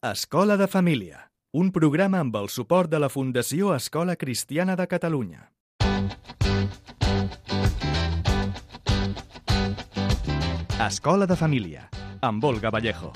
Escola de Família, un programa amb el suport de la Fundació Escola Cristiana de Catalunya. Escola de Família, amb Olga Vallejo.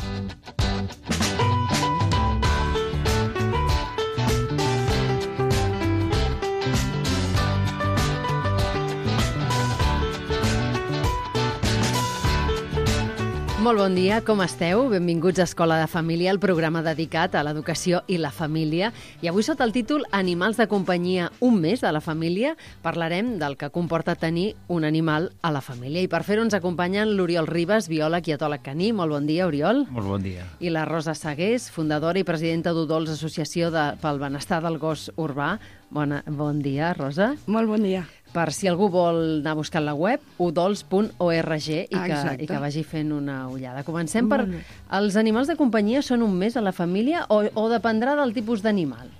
Molt bon dia, com esteu? Benvinguts a Escola de Família, el programa dedicat a l'educació i la família. I avui, sota el títol Animals de companyia, un mes de la família, parlarem del que comporta tenir un animal a la família. I per fer-ho ens acompanyen l'Oriol Ribas, biòleg i etòleg caní. Molt bon dia, Oriol. Molt bon dia. I la Rosa Sagués, fundadora i presidenta d'Udols, Associació pel Benestar del Gos Urbà. Bon dia, Rosa. Molt bon dia. Per si algú vol anar a buscar la web, udols.org i que vagi fent una ullada. Comencem per... Els animals de companyia són un mes a la família o dependrà del tipus d'animal?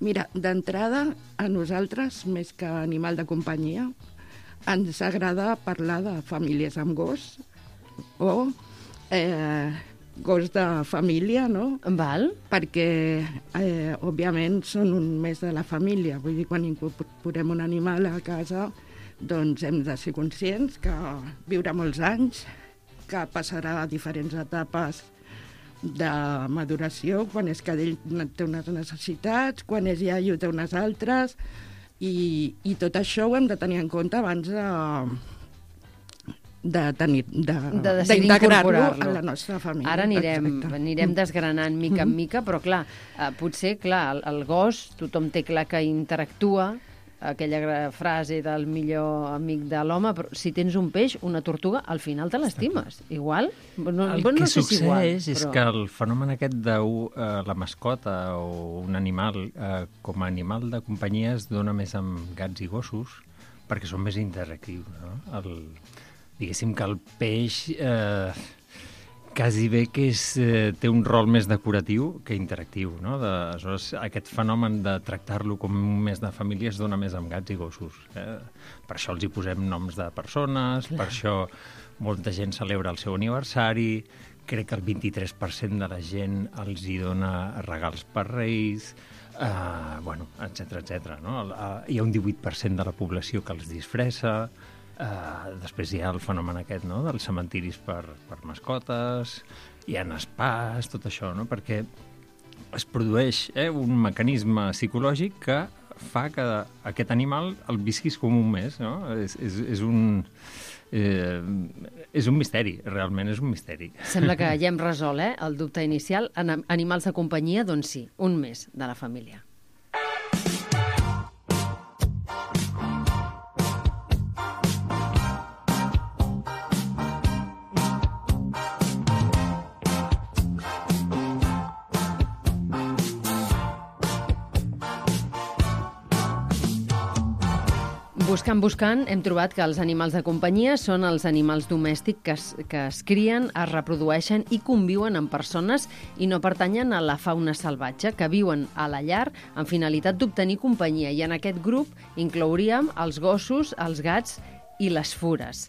Mira, d'entrada, a nosaltres, més que animal de companyia, ens agrada parlar de famílies amb gos o gos de família, no? Val. Perquè, òbviament, són un mes de la família. Vull dir, quan incorporem un animal a casa, doncs hem de ser conscients que viurà molts anys, que passarà diferents etapes de maduració, quan és cadell té unes necessitats, quan és iaio té unes altres, i tot això ho hem de tenir en compte abans d'integrar-lo a la nostra família. Ara anirem desgranant mica en mica, però clar, potser el gos, tothom té clar que interactua, aquella frase del millor amic de l'home, però si tens un peix, una tortuga, al final te l'estimes. Igual? El que succeeix és que el fenomen aquest de la mascota o un animal com a animal de companyia es dona més amb gats i gossos perquè són més interactius, no? Diguéssim que el peix quasi bé que té un rol més decoratiu que interactiu, no? Aleshores, aquest fenomen de tractar-lo com un mes de família es dona més amb gats i gossos. Per això els hi posem noms de persones, per això molta gent celebra el seu aniversari, crec que el 23% de la gent els hi dona regals per Reis, etcètera, no? Hi ha un 18% de la població que els disfressa. Després hi ha el fenomen aquest, no?, dels cementiris per mascotes, hi ha spas, tot això, no?, perquè es produeix un mecanisme psicològic que fa que aquest animal el visquis com un mes, no? És un misteri, realment és un misteri. Sembla que ja hem resolt el dubte inicial. Animals de companyia, doncs sí, un mes de la família. Buscant, hem trobat que els animals de companyia són els animals domèstics que es crien, es reprodueixen i conviuen amb persones i no pertanyen a la fauna salvatge, que viuen a la llar amb finalitat d'obtenir companyia. I en aquest grup inclouríem els gossos, els gats i les fures.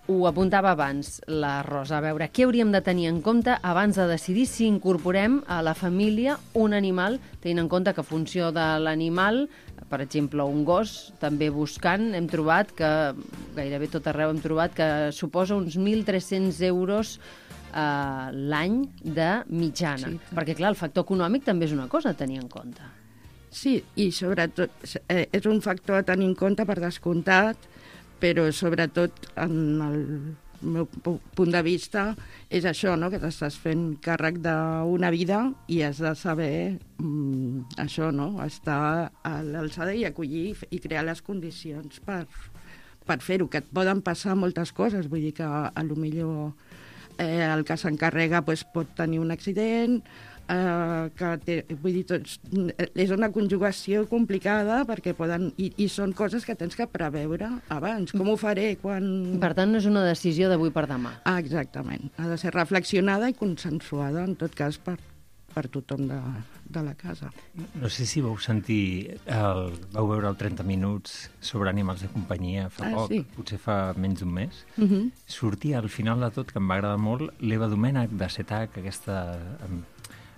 Ho apuntava abans la Rosa. A veure, què hauríem de tenir en compte abans de decidir si incorporem a la família un animal, tenint en compte que en funció de l'animal, per exemple, un gos, també buscant, hem trobat que, gairebé tot arreu hem trobat que suposa uns 1.300 euros l'any de mitjana. Sí. Perquè, clar, el factor econòmic també és una cosa a tenir en compte. Sí, i sobretot és un factor a tenir en compte per descomptat, però sobretot en el meu punt de vista és això, no?, que t'estàs fent càrrec d'una vida i has de saber això, no?, estar a l'alçada i acollir i crear les condicions per fer-ho, que et poden passar moltes coses, vull dir que a lo millor el que s'encarrega pot tenir un accident, vull dir, és una conjugació complicada perquè i són coses que tens que preveure abans. Com ho faré quan... Per tant, no és una decisió d'avui per demà. Exactament. Ha de ser reflexionada i consensuada, en tot cas, per tothom de la casa. No sé si vau vau veure el 30 minuts sobre animals de companyia fa poc, sí. Potser fa menys d'un mes. Sortia al final de tot, que em va agradar molt, l'Eva Domènech de CETAC, aquesta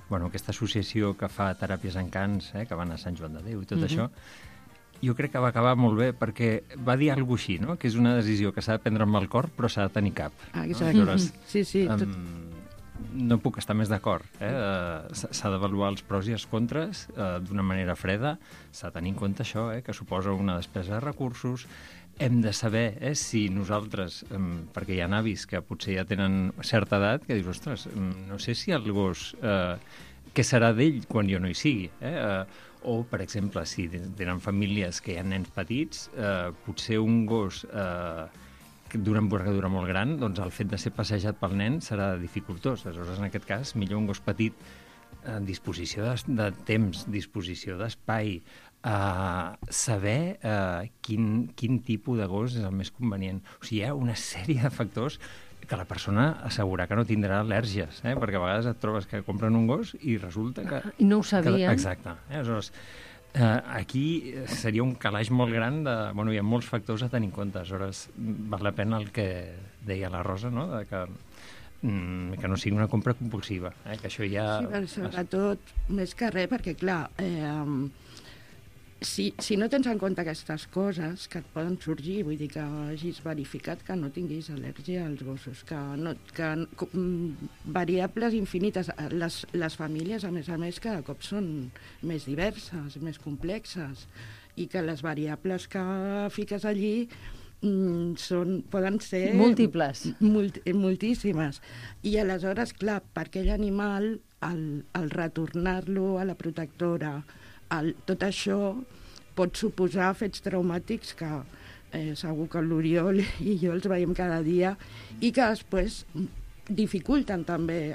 aquesta associació que fa teràpies en cants, que van a Sant Joan de Déu i tot això, jo crec que va acabar molt bé perquè va dir alguna cosa així, no? Que és una decisió que s'ha de prendre amb el cor però s'ha de tenir cap. Exacte. No? Sí. No puc estar més d'acord. S'ha d'avaluar els pros i els contres d'una manera freda. S'ha de tenir en compte això, que suposa una despesa de recursos. Hem de saber si nosaltres, perquè hi ha avis que potser ja tenen certa edat, que dius, ostres, no sé si el gos, què serà d'ell quan jo no hi sigui? O, per exemple, si tenen famílies que hi ha nens petits, potser un gos d'una envergadura molt gran, doncs el fet de ser passejat pel nen serà dificultós. Aleshores, en aquest cas, millor un gos petit, disposició de temps, disposició d'espai, saber quin tipus de gos és el més convenient. O sigui, hi ha una sèrie de factors que la persona assegurar que no tindrà al·lèrgies, perquè a vegades et trobes que compren un gos i resulta que... I no ho sabien. Exacte. Aleshores, aquí seria un calaix molt gran de... Bueno, hi ha molts factors a tenir en compte. Aleshores, val la pena el que deia la Rosa, no?, de que no sigui una compra compulsiva, que això ja... Sí, però sobretot, més que res, perquè, clar, si no tens en compte aquestes coses que et poden sorgir, vull dir que hagis verificat que no tinguis al·lèrgia als gossos, variables infinites. Les famílies, a més, cada cop són més diverses, més complexes, i que les variables que fiques allí poden ser... múltiples. Moltíssimes. I aleshores, clar, per aquell animal, el retornar-lo a la protectora, tot això pot suposar fets traumàtics que segur que l'Oriol i jo els veiem cada dia i que després dificulten també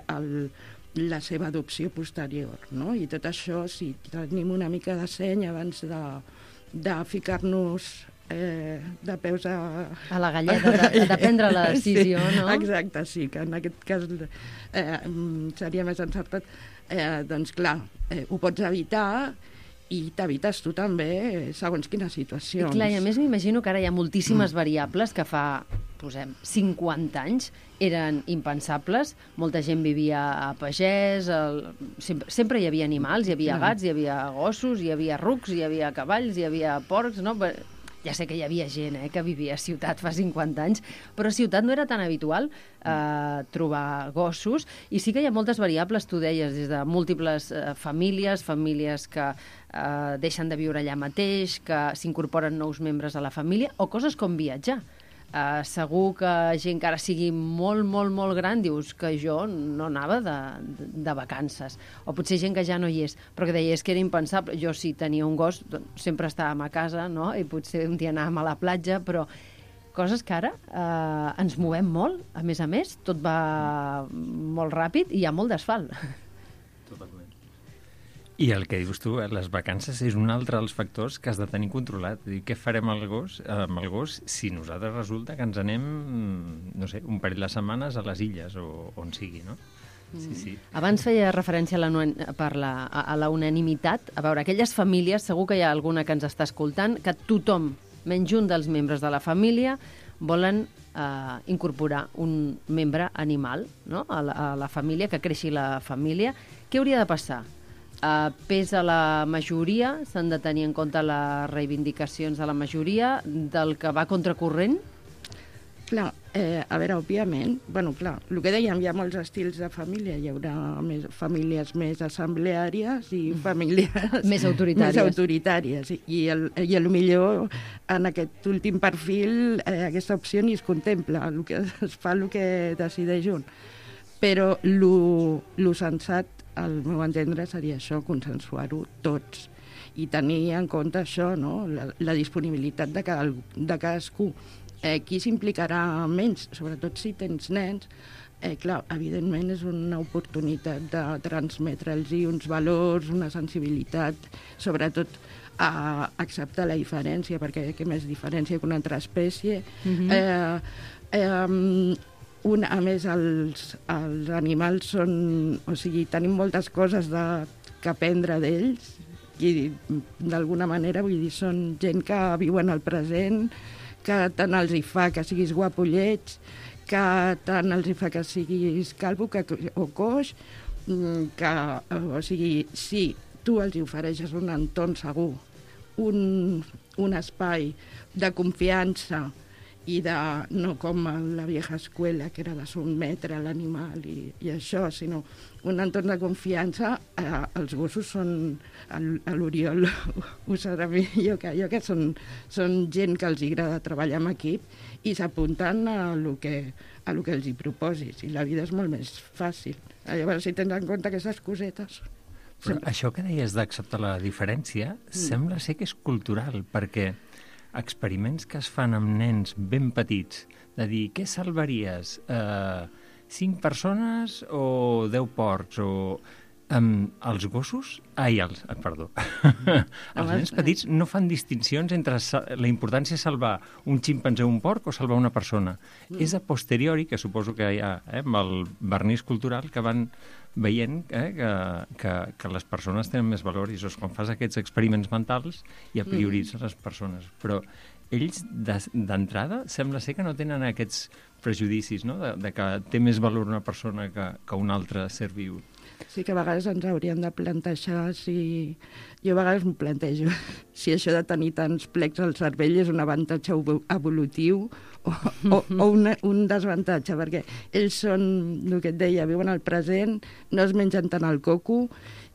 la seva adopció posterior, no? I tot això, si tenim una mica de seny abans de ficar-nos de peus a la galleda, de prendre la decisió, no? Exacte, sí, que en aquest cas seria més encertat. Doncs clar, ho pots evitar i t'evites tu també, segons quines situacions. I clar, i a més m'imagino que ara hi ha moltíssimes variables que fa, posem, 50 anys eren impensables. Molta gent vivia a pagès, sempre hi havia animals, hi havia gats, hi havia gossos, hi havia rucs, hi havia cavalls, hi havia porcs, no? Ja sé que hi havia gent que vivia a ciutat fa 50 anys, però a ciutat no era tan habitual trobar gossos, i sí que hi ha moltes variables, tu deies, des de múltiples famílies que deixen de viure allà mateix, que s'incorporen nous membres a la família, o coses com viatjar. Segur que gent que ara sigui molt, molt, molt gran, dius que jo no anava de vacances, o potser gent que ja no hi és, però que deies que era impensable. Jo, si tenia un gos, doncs, sempre estàvem a casa, no? I potser un dia anàvem a la platja, però coses que ara ens movem molt, a més, tot va molt ràpid i hi ha molt d'asfalt. Totalment. I el que dius tu, les vacances és un altre dels factors que has de tenir controlat. Què farem amb el gos si nosaltres resulta que ens anem, no sé, un parell de setmanes a les illes o on sigui, no? Sí. Abans feia referència a la unanimitat. A veure, aquelles famílies, segur que hi ha alguna que ens està escoltant, que tothom, menys un dels membres de la família, volen incorporar un membre animal, no?, a la família, que creixi la família. Què hauria de passar? Pesa la majoria, s'han de tenir en compte les reivindicacions de la majoria, del que va contracorrent? Clar, a veure, òbviament, clar, el que dèiem, hi ha molts estils de família, hi haurà famílies més assembleàries i famílies més autoritàries. I potser en aquest últim perfil aquesta opció ni es contempla, es fa el que decideix un. Però el sensat, al meu entendre, seria això, consensuar-ho tots i tenir en compte això, no?, la disponibilitat de cadascú. Qui s'implicarà menys, sobretot si tens nens, clar, evidentment és una oportunitat de transmetre'ls uns valors, una sensibilitat, sobretot a acceptar la diferència, perquè què més diferència que una altra espècie. A més, els animals són... O sigui, tenim moltes coses que aprendre d'ells i, d'alguna manera, vull dir, són gent que viuen al present, que tant els hi fa que siguis guapo o lleig, que tant els hi fa que siguis calvo o coix, o sigui, si tu els ofereixes un entorn segur, un espai de confiança i de, no com a la vieja escuela, que era de sotmetre l'animal i això, sinó un entorn de confiança. Els gossos són, l'Oriol ho sabrà millor que jo, que són gent que els agrada treballar en equip i s'apunten a lo que els hi proposis, i la vida és molt més fàcil. Llavors, si tens en compte aquestes cosetes... Però això que deies d'acceptar la diferència sembla ser que és cultural, perquè experiments que es fan amb nens ben petits, de dir, què salvaries? 5 persones o 10 porcs? O els gossos... perdó. Els nens petits no fan distincions entre la importància de salvar un ximpanzé o un porc o salvar una persona. És a posteriori, que suposo que hi ha amb el vernís cultural, que van veient que les persones tenen més valor, i quan fas aquests experiments mentals ja prioritzes les persones. Però ells, d'entrada, sembla ser que no tenen aquests prejudicis, no? De que té més valor una persona que un altre ser viu. Sí que a vegades ens hauríem de plantejar si... Jo a vegades m'ho plantejo, si això de tenir tants plecs al cervell és un avantatge evolutiu o un desavantatge, perquè ells són, el que et deia, viuen al present, no es mengen tant el coco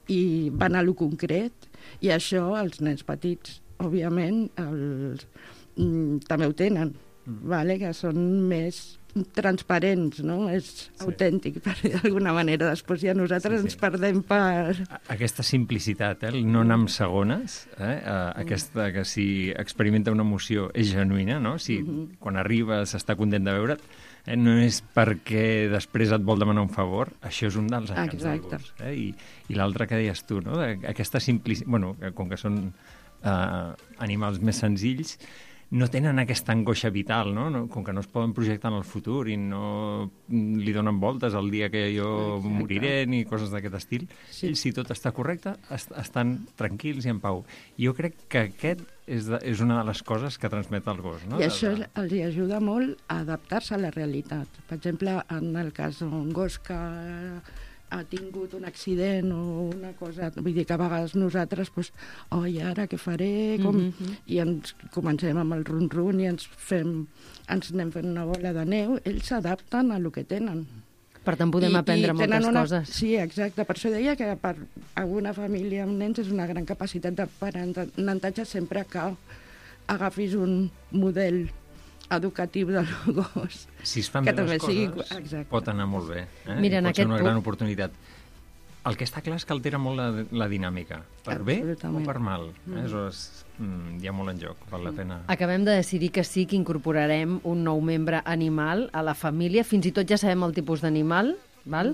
i van a lo concret, i això els nens petits, òbviament, també ho tenen, que són més transparents, no? És autèntic, per dir d'alguna manera. Després ja nosaltres ens perdem per... Aquesta simplicitat, el no anar amb segones, aquesta que si experimenta una emoció és genuïna, no? Si quan arribes està content de veure't, no és perquè després et vol demanar un favor, això és un dels encants del gos. I l'altre que deies tu, no? Aquesta simplicitat, bueno, com que són animals més senzills, no tenen aquesta angoixa vital, no? Com que no es poden projectar en el futur i no li donen voltes el dia que jo moriré ni coses d'aquest estil. Ells, si tot està correcte, estan tranquils i en pau. Jo crec que aquest és una de les coses que transmet el gos, no? I això els ajuda molt a adaptar-se a la realitat. Per exemple, en el cas d'un gos que ha tingut un accident o una cosa, vull dir que a vegades nosaltres, i ara què faré? I ens comencem amb el run-run i ens anem fent una bola de neu. Ells s'adapten a lo que tenen. Per tant, podem aprendre moltes coses. Sí, exacte. Per això deia que per alguna família amb nens és una gran capacitat d'aprenentatge sempre que agafis un model educatiu del gos. Si es fan bé les coses, pot anar molt bé. Mira, pot ser una gran oportunitat. El que està clar és que altera molt la dinàmica, per bé o per mal. Aleshores, hi ha molt en joc, val la pena. Acabem de decidir que sí, que incorporarem un nou membre animal a la família. Fins i tot ja sabem el tipus d'animal, val?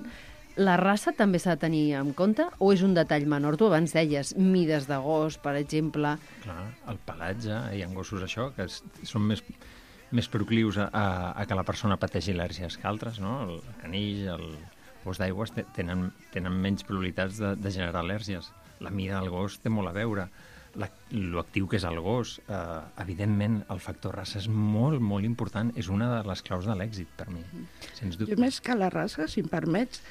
La raça també s'ha de tenir en compte o és un detall menor? Tu abans deies mides de gos, per exemple. Clar, el pelatge, hi ha gossos això, que són més proclius a que la persona pateixi al·lèrgies que altres, no? El canill, el gos d'aigües tenen menys probabilitats de generar al·lèrgies. La mida del gos té molt a veure. L'actiu que és el gos, evidentment, el factor raça és molt, molt important. És una de les claus de l'èxit, per mi, sens dubte. Jo més que la raça, si em permets...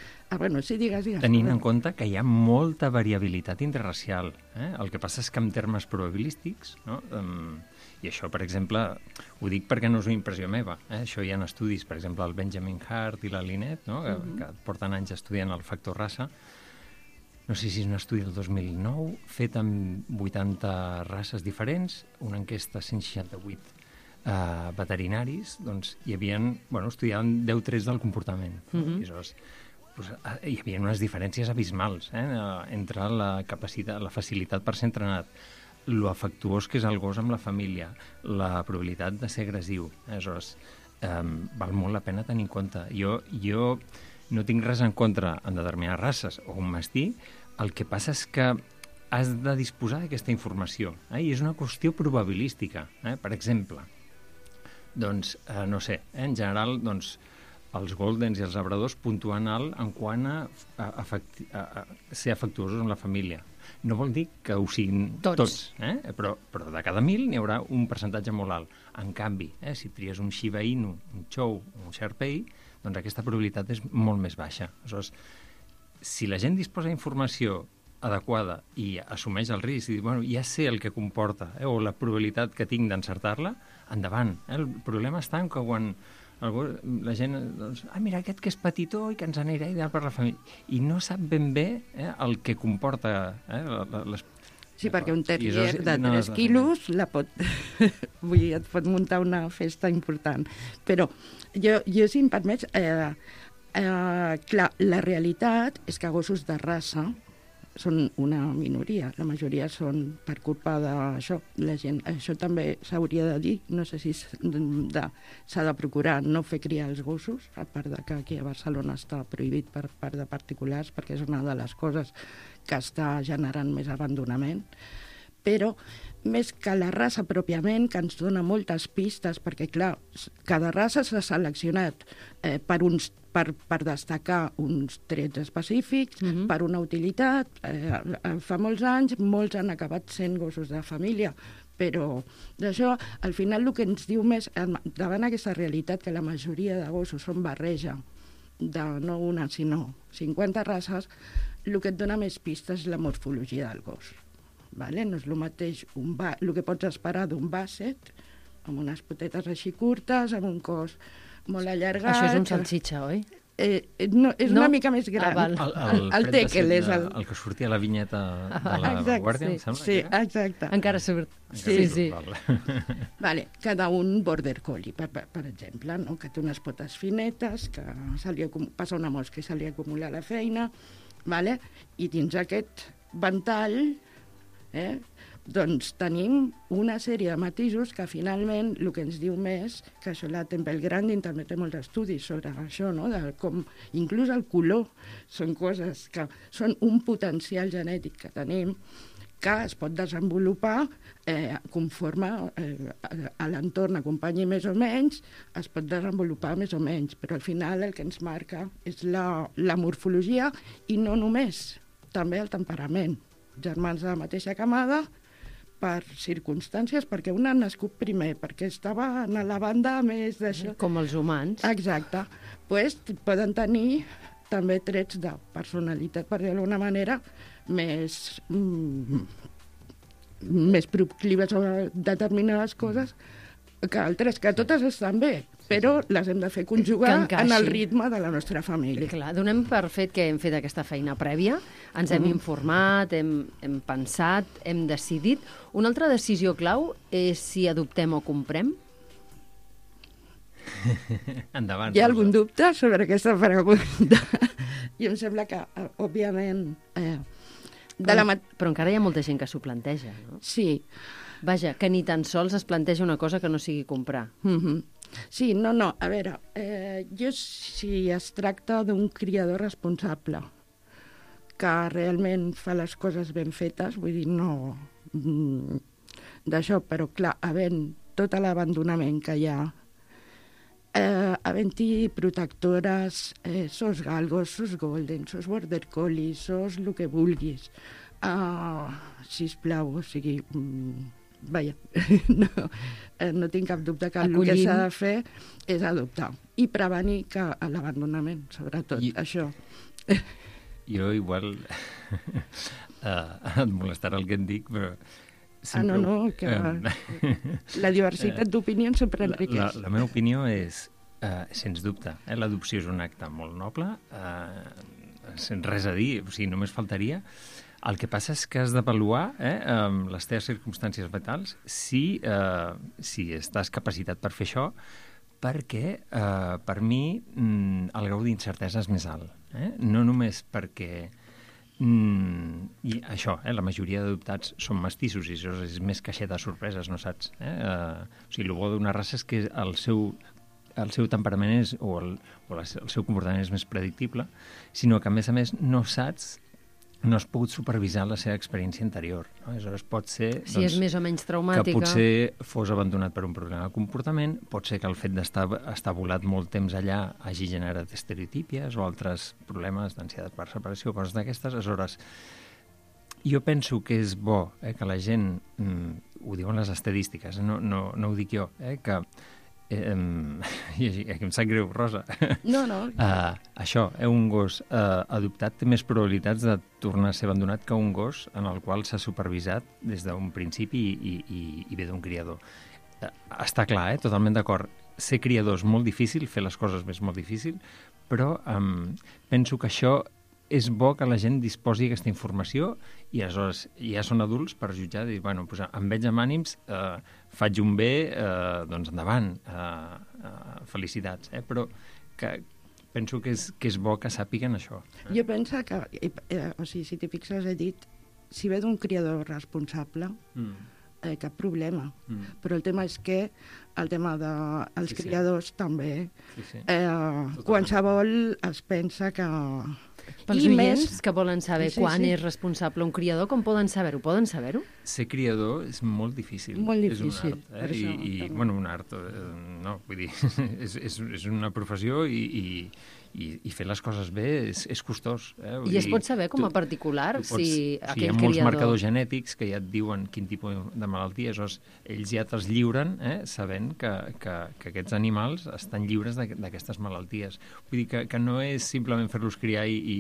sí, digues. Tenint en compte que hi ha molta variabilitat interracial. El que passa és que en termes probabilístics, no? I això, per exemple, ho dic perquè no és una impressió meva. Això hi ha estudis, per exemple, el Benjamin Hart i la Lynette, no? Que porten anys estudiant el factor raça. No sé si és un estudi del 2009, fet amb 80 races diferents, una enquesta a 168 veterinaris, doncs hi havia, estudiaven 10 trets del comportament. I aleshores, hi havia unes diferències abismals entre la capacitat, la facilitat per ser entrenat, lo afectuós que és el gos amb la família, la probabilitat de ser agressiu. Aleshores, val molt la pena tenir en compte. Jo no tinc res en contra en determinades races o un mastí, el que passa és que has de disposar d'aquesta informació, i és una qüestió probabilística. Per exemple, doncs, no sé, en general, doncs, els Goldens i els labradors puntuen alt en quant a ser afectuosos amb la família. No vol dir que ho siguin tots, però de cada 1.000 n'hi haurà un percentatge molt alt. En canvi, si tries un Shiba Inu, un Chow o un Shar Pei, doncs aquesta probabilitat és molt més baixa. Aleshores, si la gent disposa d'informació adequada i assumeix el risc i diu, bueno, ja sé el que comporta o la probabilitat que tinc d'encertar-la, endavant. El problema està en que quan la gent, doncs, mira, aquest que és petitó i que ens anirà ideal per la família, i no sap ben bé el que comporta les... Sí, perquè un terrier de 3 quilos vull dir, et pot muntar una festa important. Però jo si em permets, clar, la realitat és que gossos de raça són una minoria, la majoria són per culpa d'això. La gent, això també s'hauria de dir, no sé si s'ha de procurar no fer criar els gossos, a part de que aquí a Barcelona està prohibit per part de particulars, perquè és una de les coses que està generant més abandonament. Però més que la raça pròpiament, que ens dona moltes pistes, perquè clar, cada raça s'ha seleccionat per destacar uns trets específics, per una utilitat. Fa molts anys, molts han acabat sent gossos de família, però d'això, al final, el que ens diu més, davant aquesta realitat que la majoria de gossos són barreja, de no una, sinó 50 races, el que et dona més pistes és la morfologia del gos. Vale? No és el mateix el que pots esperar d'un basset, amb unes potetes així curtes, amb un cos molt allargat. Això és un salsitxa, oi? No, és una mica més gran. El Teckel és el que sortia a la vinyeta de la Guàrdia, em sembla. Sí, exacte. Encara surt. Sí. Vale, cada un border collie, per exemple, no? Que té unes potes finetes, que passa una mosca i se li acumula la feina, vale? I dins aquest ventall doncs tenim una sèrie de matisos que finalment el que ens diu més, que això la Temple Grandin també té molts estudis sobre això, no? De com inclús el color són coses que són un potencial genètic que tenim que es pot desenvolupar conforme a l'entorn acompanyi més o menys, es pot desenvolupar més o menys, però al final el que ens marca és la morfologia i no només, també el temperament. Germans de la mateixa camada, per circumstàncies, perquè un ha nascut primer, perquè estava a la banda més d'això. Com els humans. Exacte. Pues, poden tenir també trets de personalitat, per dir-ho d'alguna manera, més proclives a determinades coses que altres, que totes estan bé, però les hem de fer conjugar en el ritme de la nostra família. Clar, donem per fet que hem fet aquesta feina prèvia, ens hem informat, hem pensat, hem decidit. Una altra decisió clau és si adoptem o comprem? Endavant. Hi ha algun dubte sobre aquesta pregunta? I em sembla que, òbviament... Però encara hi ha molta gent que s'ho planteja, no? Sí. Vaja, que ni tan sols es planteja una cosa que no sigui comprar. Sí, no, a veure, jo si es tracta d'un criador responsable que realment fa les coses ben fetes, vull dir, no d'això, però clar, havent tot l'abandonament que hi ha, havent-hi protectores, sos galgos, sos golden, sos border collie, sos el que vulguis, sisplau, o sigui... Vaja, no tinc cap dubte que el que s'ha de fer és adoptar i prevenir l'abandonament, sobretot, això. Jo igual et molestarà el que et dic, però... Sempre... No, que la diversitat d'opinions sempre enriqueix. La meva opinió és, sens dubte, l'adopció és un acte molt noble, sense res a dir, o sigui, només faltaria. El que passa és que has d'avaluar les teves circumstàncies vitals si estàs capacitat per fer això, perquè per mi el grau d'incertesa és més alt. No només perquè i això, la majoria d'adoptats són mestissos i això és més caixeta de sorpreses, no saps? O sigui, el bo d'una raça és que el seu temperament el seu comportament és més predictible, sinó que a més no saps, no has pogut supervisar la seva experiència anterior. No? Aleshores pot ser si és més o menys traumàtica, que potser fos abandonat per un problema de comportament, pot ser que el fet d'estar volat molt temps allà hagi generat estereotípies o altres problemes d'ansietat per separació, coses d'aquestes. Aleshores, jo penso que és bo que la gent, ho diuen les estadístiques, no ho dic jo, que Aquí em sap greu, Rosa. No. Això, un gos adoptat té més probabilitats de tornar a ser abandonat que un gos en el qual s'ha supervisat des d'un principi i ve d'un criador. Està clar, totalment d'acord. Ser criador és molt difícil, fer les coses és molt difícil, però penso que això és bo que la gent disposi d'aquesta informació i aleshores ja són adults per jutjar i dir, bueno, doncs em veig amb ànims, faig un bé, doncs endavant, felicitats, però que penso que és bo que sàpiguen això. Jo penso que, o sigui, si t'hi fixes, he dit, si ve d'un criador responsable, cap problema. Però el tema és que el tema dels criadors també, qualsevol es pensa que... Pels oients que volen saber quan és responsable un criador, com poden saber-ho? Poden saber-ho? Ser criador és molt difícil. Molt difícil. És un art, bueno, un art, no, vull dir, és una professió i fer les coses bé és costós. I es pot saber com a particular si aquell criador... Hi ha molts marcadors genètics que ja et diuen quin tipus de malalties, ells ja te'ls lliuren sabent que aquests animals estan lliures d'aquestes malalties. Vull dir que no és simplement fer-los criar i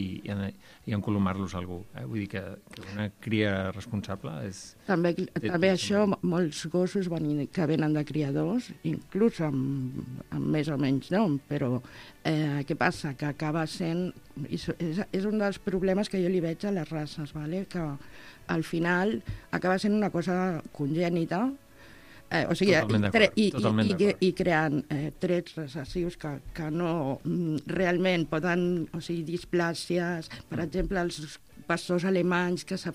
encolomar-los a algú. Vull dir que una cria responsable és... També això, molts gossos que venen de criadors, inclús amb més o menys nom, però què passa? Que acaba sent... És un dels problemes que jo li veig a les races, que al final acaba sent una cosa congènita, o sigui, i creant trets recessius que no realment poden... O sigui, displàcies, per exemple, els pastors alemanys que s'ha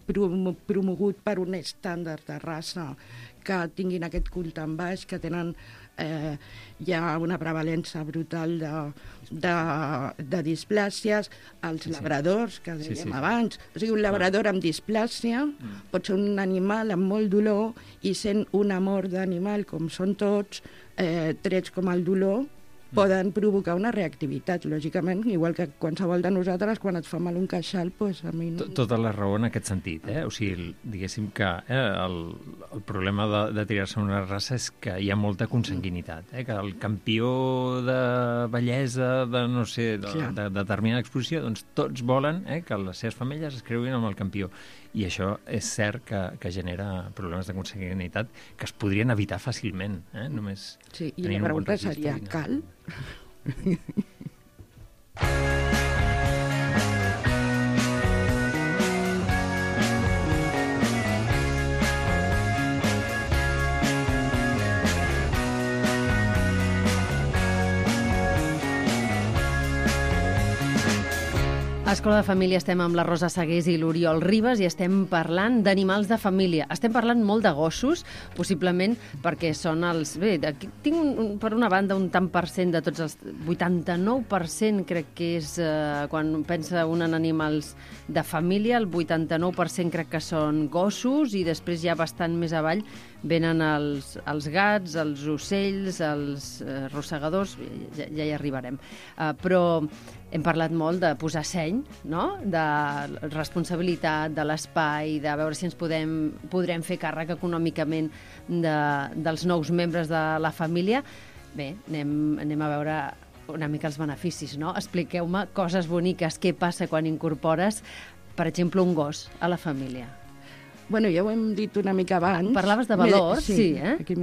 promogut per un estàndard de raça, que tinguin aquest cul tan baix, que tenen hi ha una prevalença brutal de displàcies, els labradors, que dèiem abans. O sigui, un labrador amb displàsia pot ser un animal amb molt dolor i sent un amor d'animal, com són tots, trets com el dolor, poden provocar una reactivitat, lògicament, igual que qualsevol de nosaltres, quan et fa mal un queixal, doncs a mi no... Tota la raó en aquest sentit, O sigui, diguéssim que el problema de tirar-se una raça és que hi ha molta consanguinitat, que el campió de bellesa, de no sé, de determinada exposició, doncs tots volen que les seves femelles es creuin amb el campió. I això és cert que genera problemes de consanguinitat que es podrien evitar fàcilment, només... Sí, i la pregunta seria, cal? A Escola de Família estem amb la Rosa Segués i l'Oriol Ribas i estem parlant d'animals de família. Estem parlant molt de gossos, possiblement perquè són els... Bé, tinc per una banda un tant per cent de tots els... 89% crec que és quan pensa un en animals de família, el 89% crec que són gossos i després ja bastant més avall venen els gats, els ocells, els rosegadors, ja hi arribarem. Però hem parlat molt de posar seny, no? De responsabilitat, de l'espai, de veure si ens podrem fer càrrec econòmicament dels nous membres de la família. Bé, anem a veure una mica els beneficis, no? Expliqueu-me coses boniques, què passa quan incorpores, per exemple, un gos a la família. Bueno, ja ho hem dit una mica abans. Parlaves de valors, sí, Aquí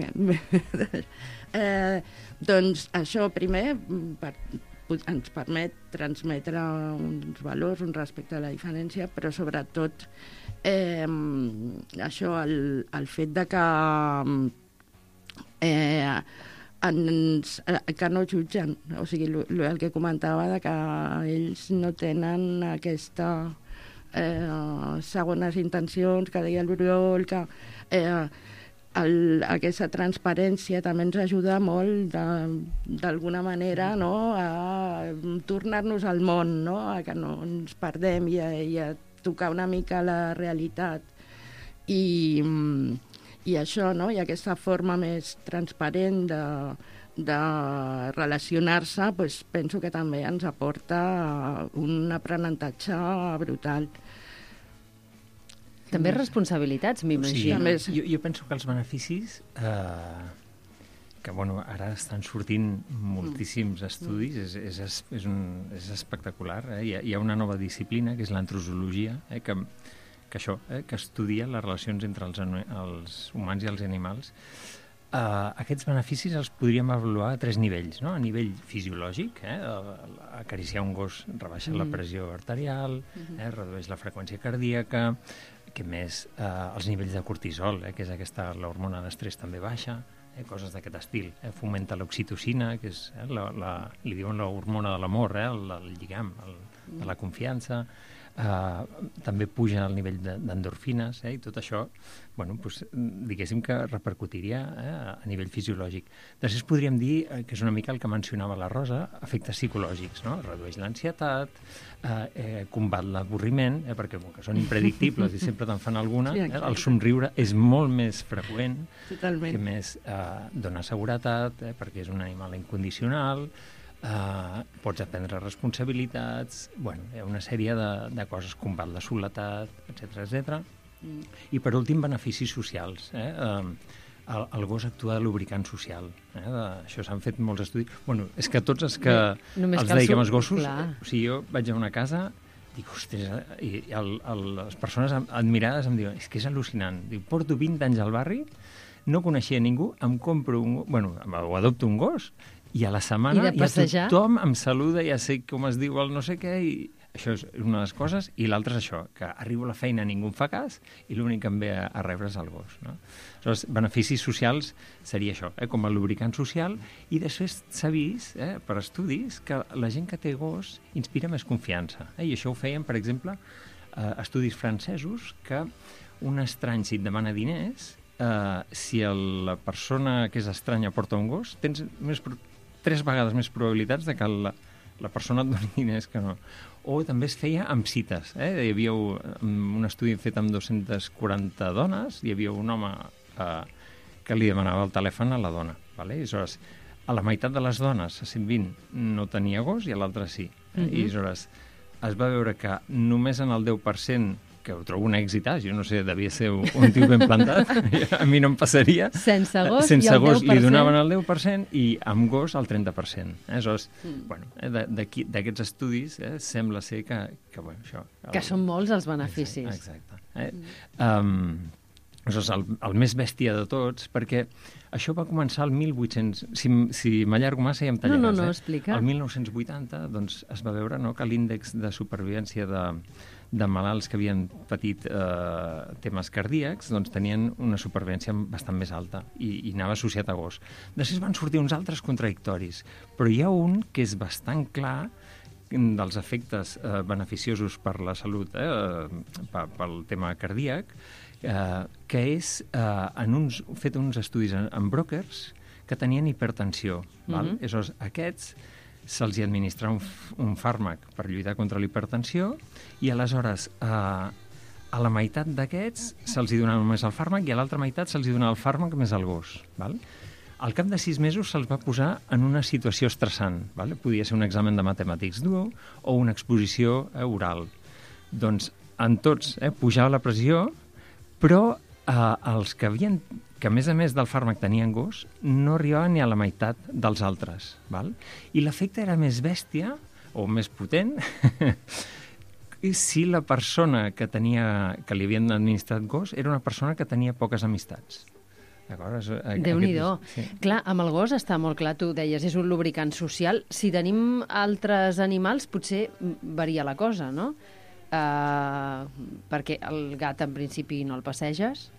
doncs això, primer, ens permet transmetre uns valors, un respecte a la diferència, però sobretot això, el fet de que no jutgen, o sigui, el que comentava de que ells no tenen aquesta segones intencions, que deia l'Oriol, que aquesta transparència també ens ajuda molt d'alguna manera, no? A tornar-nos al món, no? A que no ens perdem i a tocar una mica la realitat i això, no? I aquesta forma més transparent de relacionar-se, doncs penso que també ens aporta un aprenentatge brutal. També responsabilitats, m'imagino. Sí, jo penso que els beneficis que bueno, ara estan sortint moltíssims estudis, és espectacular. Hi ha una nova disciplina, que és l'antrozologia, que estudia les relacions entre els humans i els animals. Aquests beneficis els podríem avaluar a 3 nivells, no? A nivell fisiològic, acariciar un gos rebaixa la pressió arterial, redueix la freqüència cardíaca, que més els nivells de cortisol, que és l'hormona d'estrès, també baixa, coses d'aquest estil. Fomenta l'oxitocina, que és, li diuen l'hormona de l'amor, el lligam, de la confiança. També puja el nivell d'endorfines, i tot això, diguéssim que repercutiria a nivell fisiològic. Després podríem dir, que és una mica el que mencionava la Rosa, efectes psicològics, no? Redueix l'ansietat, combat l'avorriment, perquè com que són impredictibles i sempre te'n fan alguna, el somriure és molt més freqüent, que més dona seguretat, perquè és un animal incondicional, pots aprendre responsabilitats, hi ha una sèrie de coses, combat la soledat, etc. I per últim, beneficis socials. El gos actua de lubricant social. Això s'han fet molts estudis. És que tots els que els dediquem als gossos, o sigui, jo vaig a una casa, dic, ostres, i les persones admirades em diuen, és que és al·lucinant. Dic, porto 20 anys al barri, no coneixia ningú, em compro o adopto un gos, i a la setmana ja tothom em saluda, ja sé com es diu el no sé què, i això és una de les coses, i l'altra és això, que arribo a la feina, ningú em fa cas, i l'únic que em ve a rebre és el gos. Aleshores, beneficis socials seria això, com el lubricant social, i després s'ha vist, per estudis, que la gent que té gos inspira més confiança. I això ho feien, per exemple, estudis francesos, que un estrany, si et demana diners, si la persona que és estranya porta un gos, tens 3 vegades més probabilitats de que la persona et doni diners que no. O també es feia amb cites. Hi havia un estudi fet amb 240 dones, hi havia un home que li demanava el telèfon a la dona. Aleshores, a la meitat de les dones, a 120, no tenia gos i a l'altre sí. I aleshores es va veure que només en el 10%, que ho trobo un èxit, jo no sé, devia ser un tio ben plantat, a mi no em passaria. Sense gos li donaven el 10% i amb gos el 30%. Aleshores, d'aquests estudis sembla ser que això... Que són molts els beneficis. Exacte. Aleshores, el més bèstia de tots, perquè això va començar el 1800... Si m'allargo massa ja em tallaràs. No, explica. El 1980 es va veure que l'índex de supervivència de malalts que havien patit temes cardíacs tenien una supervivència bastant més alta i anava associat a gos. Després van sortir uns altres contradictoris, però hi ha un que és bastant clar dels efectes beneficiosos per la salut, pel tema cardíac, que és fet uns estudis amb brokers que tenien hipertensió. Aleshores, aquests se'ls administra un fàrmac per lluitar contra la hipertensió i aleshores a la meitat d'aquests se'ls donava només el fàrmac i a l'altra meitat se'ls donava el fàrmac més el gos. Al cap de 6 mesos se'ls va posar en una situació estressant. Podia ser un examen de matemàtics dur o una exposició oral. Doncs en tots pujava la pressió, però els que a més del fàrmac tenien gos, no arribaven ni a la meitat dels altres. I l'efecte era més bèstia, o més potent, si la persona que li havien administrat gos era una persona que tenia poques amistats. Déu-n'hi-do. Clar, amb el gos està molt clar, tu deies, és un lubricant social. Si tenim altres animals, potser varia la cosa, no? Perquè el gat, en principi, no el passeges.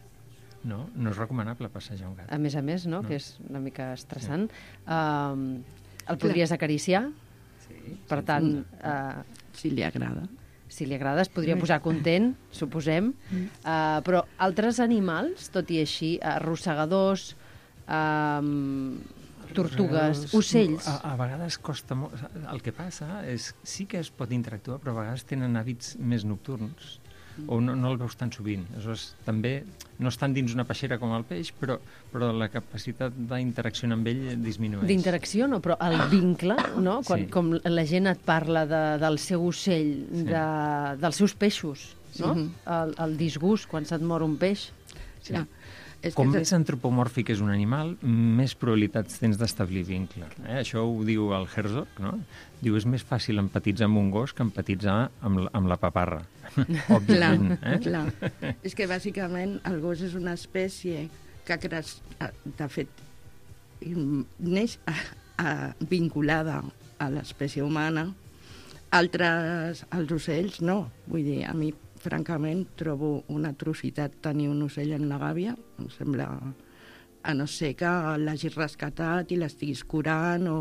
No és recomanable passejar un gat. A més, no? Que és una mica estressant. El podries acariciar? Sí. Per tant... Si li agrada. Si li agrada, es podria posar content, suposem. Però altres animals, tot i així, arrossegadors, tortugues, ocells... A vegades costa molt... El que passa és sí que es pot interactuar, però a vegades tenen hàbits més nocturns o no el veus tan sovint. Aleshores, també no estan dins una peixera com el peix, però la capacitat d'interacció amb ell disminueix. D'interacció no, però el vincle, no? Com la gent et parla del seu ocell, dels seus peixos, no? El disgust quan se't mor un peix. Sí. Com més antropomòrfic és un animal, més probabilitats tens d'establir vincle. Això ho diu el Herzog, no? Diu, és més fàcil empatitzar amb un gos que empatitzar amb la paparra. Òbviament. Clar. És que bàsicament el gos és una espècie que de fet neix vinculada a l'espècie humana. Altres, els ocells, no. Vull dir, a mi, francament, trobo una atrocitat tenir un ocell en la gàbia. Em sembla, a no ser que l'hagis rescatat i l'estiguis curant o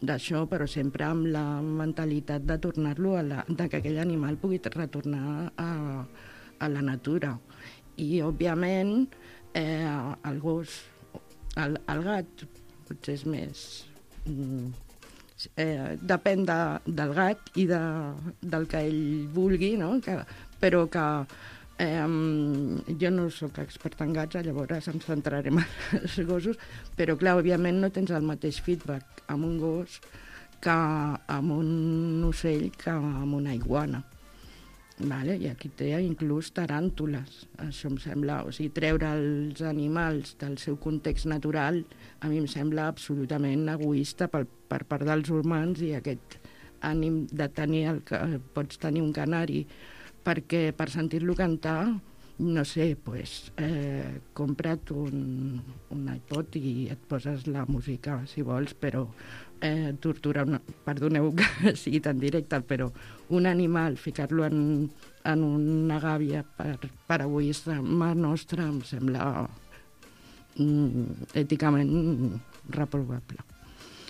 d'això, però sempre amb la mentalitat de tornar-lo de que aquell animal pugui retornar a la natura. I, òbviament, el gos, el gat, potser és més... depèn del gat i del que ell vulgui, no? Però que jo no sóc experta en gats, llavors em centraré en els gossos, però clar, òbviament no tens el mateix feedback amb un gos que amb un ocell que amb una iguana. Vale? I aquí té inclús taràntules. Això em sembla... O sigui, treure els animals del seu context natural a mi em sembla absolutament egoista per part dels humans, i aquest ànim de tenir pots tenir un canari perquè per sentir-lo cantar, no sé, compra't un iPod i et poses la música, si vols, però torturar, perdoneu que sigui tan directe, però un animal, ficar-lo en una gàbia per egoisme nostre, em sembla èticament reprovable.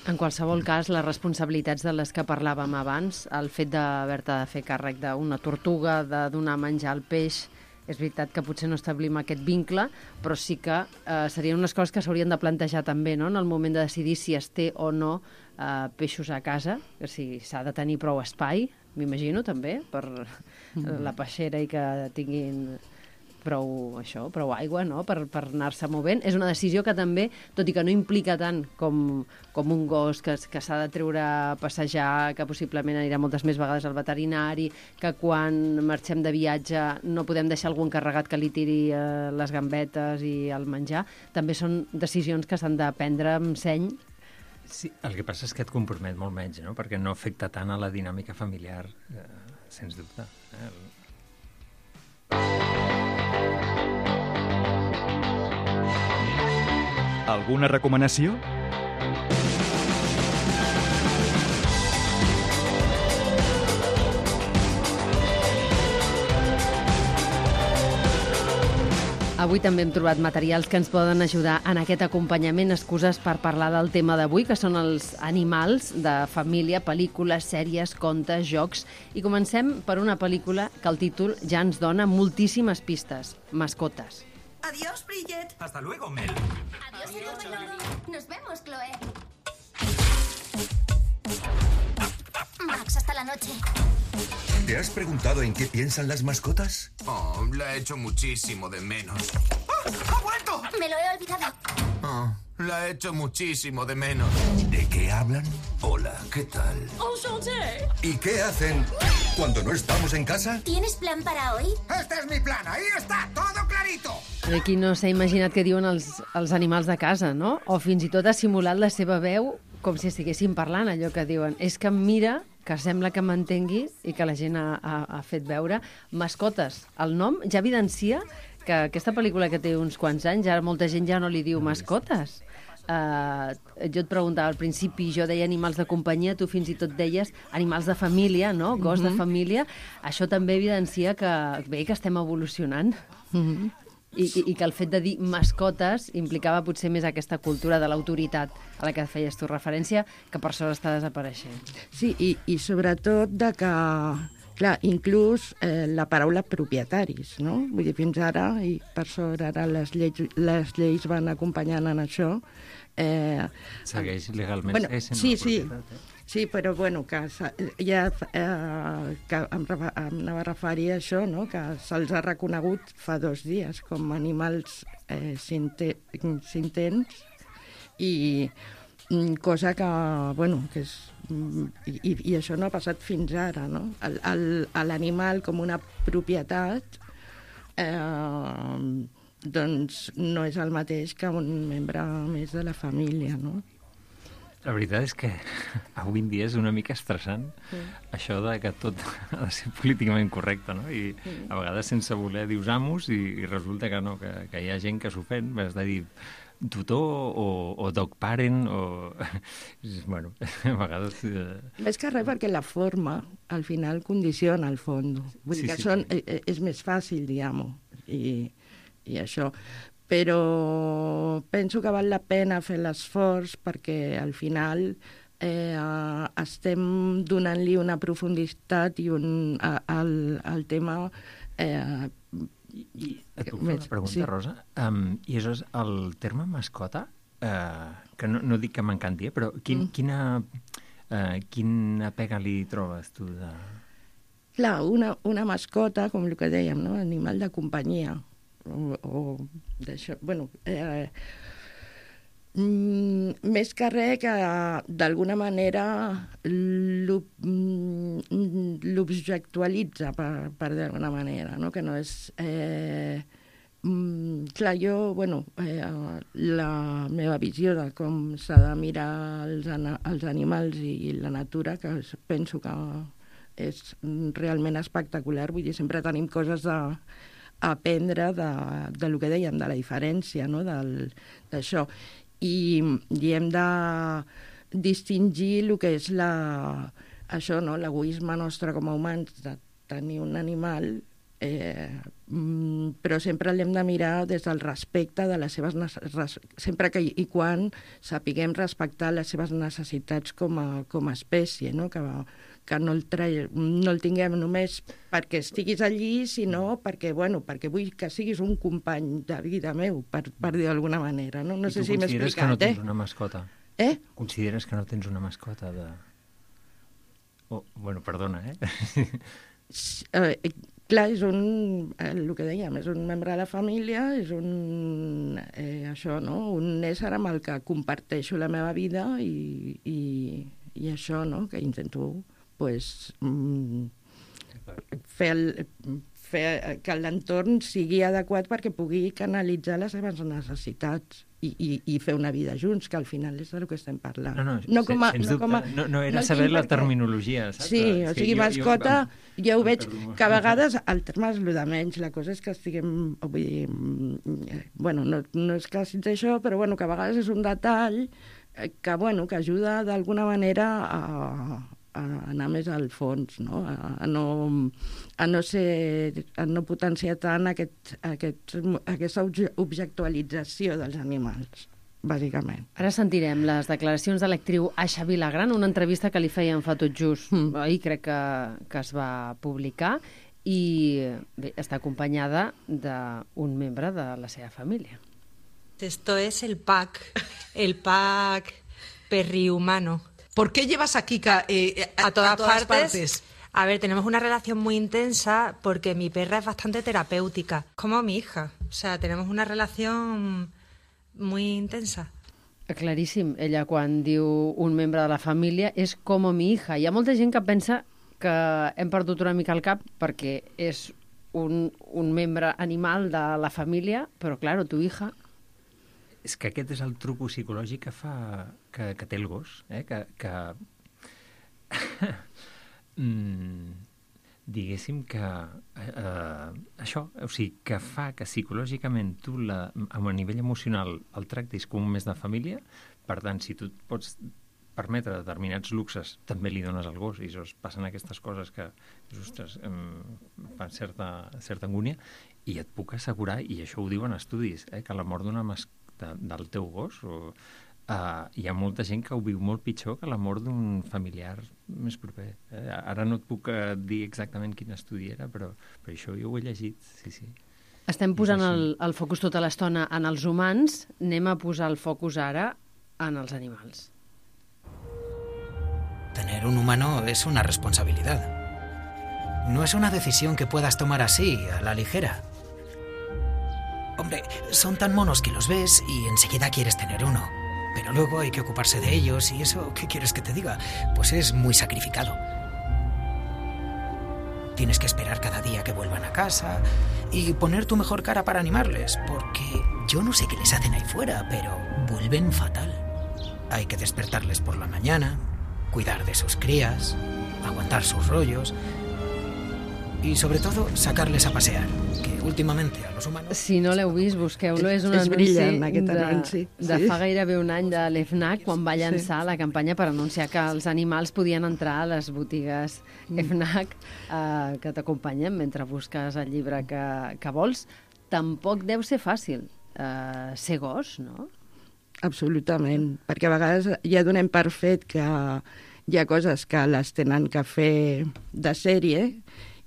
En qualsevol cas, les responsabilitats de les que parlàvem abans, el fet d'haver-te de fer càrrec d'una tortuga, de donar menjar al peix, és veritat que potser no establim aquest vincle, però sí que serien unes coses que s'haurien de plantejar també, no?, en el moment de decidir si es té o no peixos a casa, si s'ha de tenir prou espai, m'imagino també, per la peixera i que tinguin prou aigua, no?, per anar-se movent. És una decisió que també, tot i que no implica tant com un gos que s'ha de treure a passejar, que possiblement anirà moltes més vegades al veterinari, que quan marxem de viatge no podem deixar algú encarregat que li tiri les gambetes i el menjar, també són decisions que s'han de prendre amb seny. Sí, el que passa és que et compromet molt menys, no?, perquè no afecta tant a la dinàmica familiar, sens dubte. Alguna recomanació? Avui també hem trobat materials que ens poden ajudar en aquest acompanyament, excuses per parlar del tema d'avui, que són els animals de família, pel·lícules, sèries, contes, jocs. I comencem per una pel·lícula que el títol ja ens dona moltíssimes pistes. Mascotes. Adiós, Bridget. Hasta luego, Mel. Adiós, Lolo. Nos vemos, Chloe. Max, hasta la noche. ¿Te has preguntado en qué piensan las mascotas? Oh, la he hecho muchísimo de menos. ¡Ha vuelto! Me lo he olvidado. Oh, la he hecho muchísimo de menos. ¿De qué hablan? Hola, ¿qué tal? Enchanté. ¿Y qué hacen cuando no estamos en casa? ¿Tienes plan para hoy? Este es mi plan, ahí está, todo clarito. Aquí no s'ha imaginat què diuen els animals de casa, no? O fins i tot ha simulat la seva veu com si estiguessin parlant, allò que diuen. És que em mira, que sembla que m'entengui i que la gent ha fet veure. Mascotes. El nom ja evidencia que aquesta pel·lícula que té uns quants anys, ara molta gent ja no li diu mascotes. Jo et preguntava al principi, jo deia animals de companyia, tu fins i tot deies animals de família, no? Gos de família. Això també evidencia que estem evolucionant. I que el fet de dir mascotes implicava potser més aquesta cultura de l'autoritat a la que feies tu referència, que per sort està desapareixent. Sí, i sobretot de que, clar, inclús la paraula propietaris, no? Vull dir, fins ara, i per sort ara les lleis van acompanyant en això. Segueix legalment sent sí, una propietat, Sí, però bueno, que ja que em anava a referir a això, no? Que se'ls ha reconegut fa 2 dies com animals sintents i cosa que, bueno, que és... I això no ha passat fins ara, no? L'animal com una propietat doncs no és el mateix que un membre més de la família, no? La veritat és que avui en dia és una mica estressant això de que tot ha de ser políticament correcte, no? I a vegades sense voler dius amos i resulta que no, que hi ha gent que s'ofèn, has de dir tutor o dog parent o... bueno, a vegades... Més que res perquè la forma al final condiciona el fons. Vull dir que és més fàcil, diguem-ho, i això... Però penso que val la pena fer l'esforç perquè al final estem donant-li una profunditat i al tema... I et puc fer una pregunta, Rosa? I això és el terme mascota, que no dic que m'encanti, però quina pega li trobes tu de... Clar, una mascota, com el que dèiem, no? Animal de companyia, o d'això, bueno, més que res que d'alguna manera l'objectualitza, per d'alguna manera, no? Que no és... clar, jo, bueno, la meva visió de com s'ha de mirar els animals i la natura, que penso que és realment espectacular, vull dir, sempre tenim coses a aprendre de lo que dèiem, de la diferència, no? D'això. I hem de distingir el que és això, no? L'egoisme nostre com a humans de tenir un animal, però sempre l'hem de mirar des del respecte de les seves sempre que i quan sapiguem respectar les seves necessitats com a espècie, no? Que no el tinguem només perquè estiguis allí, sinó perquè vull que siguis un company de vida meu, per dir d'alguna manera. No sé si m'he explicat, consideres que no tens una mascota? Consideres que no tens una mascota de... bueno, perdona, Clar, és el que dèiem, és un membre de la família, és això, no? Un ésser amb el que comparteixo la meva vida i això, no? Que intento fer que l'entorn sigui adequat perquè pugui canalitzar les seves necessitats i fer una vida junts, que al final és del que estem parlant. No era saber la terminologia, saps? Sí, o sigui, mascota, jo ho veig que a vegades el terme és el de menys, la cosa és que estiguem, vull dir, bueno, no és que sigui això, però bueno, que a vegades és un detall que ajuda d'alguna manera a anar més al fons, no? A no potenciar tant aquesta objectualització dels animals, bàsicament. Ara sentirem les declaracions de l'actriu Aixa Vilagran, una entrevista que li feien fa tot just ahir, crec que es va publicar, i bé, està acompanyada d'un membre de la seva família. Esto es el pack perrihumano. ¿Por qué llevas a Kika a todas partes? A ver, tenemos una relación muy intensa porque mi perra es bastante terapéutica, como mi hija. O sea, tenemos una relación muy intensa. Claríssim, ella quan diu un membre de la família és com mi hija. Hi ha molta gent que pensa que hem perdut una mica el cap perquè és un membre animal de la família, però, claro, tu hija... És que aquest és el truco psicològic que té el gos, que diguéssim que això, o sigui, que fa que psicològicament tu a nivell emocional el tractis com un més de família, per tant, si tu et pots permetre determinats luxes, també li dones al gos, i passen aquestes coses que, ostres, fan certa angúnia, i et puc assegurar, i això ho diuen estudis, que la mort d'una mascota del teu gos, hi ha molta gent que ho viu molt pitjor que la mort d'un familiar més proper. Ara no et puc dir exactament quin estudi era, però això jo ho he llegit, sí. Estem posant el focus tota l'estona en els humans, anem a posar el focus ara en els animals. Tener un humano es una responsabilidad. No es una decisión que puedas tomar así, a la ligera. Hombre, son tan monos que los ves y enseguida quieres tener uno. Pero luego hay que ocuparse de ellos y eso, ¿qué quieres que te diga? Pues es muy sacrificado. Tienes que esperar cada día que vuelvan a casa, y poner tu mejor cara para animarles, porque yo no sé qué les hacen ahí fuera, pero vuelven fatal. Hay que despertarles por la mañana, cuidar de sus crías, aguantar sus rollos i, sobretot, sacarles a pasear, que últimamente a los humanos... Si no l'heu vist, busqueu-lo. És un anunci de fa gairebé un any de l'FNAC, quan va llançar la campanya per anunciar que els animals podien entrar a les botigues FNAC que t'acompanyen mentre busques el llibre que vols. Tampoc deu ser fàcil ser gos, no? Absolutament, perquè a vegades ja donem per fet que hi ha coses que les tenen que fer de sèrie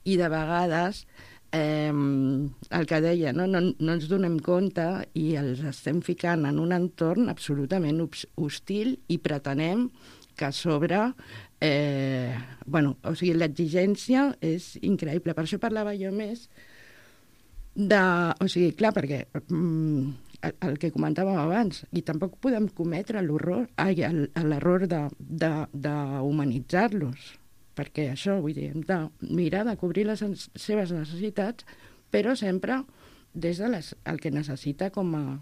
i de vegades el que deia, no ens donem compte i els estem ficant en un entorn absolutament hostil i pretenem que a sobre l'exigència és increïble. Per això parlava jo més clar, perquè el que comentàvem abans, i tampoc podem cometre l'error d'humanitzar-los, perquè això, vull dir, hem de mirar de cobrir les seves necessitats, però sempre des de el que necessita com a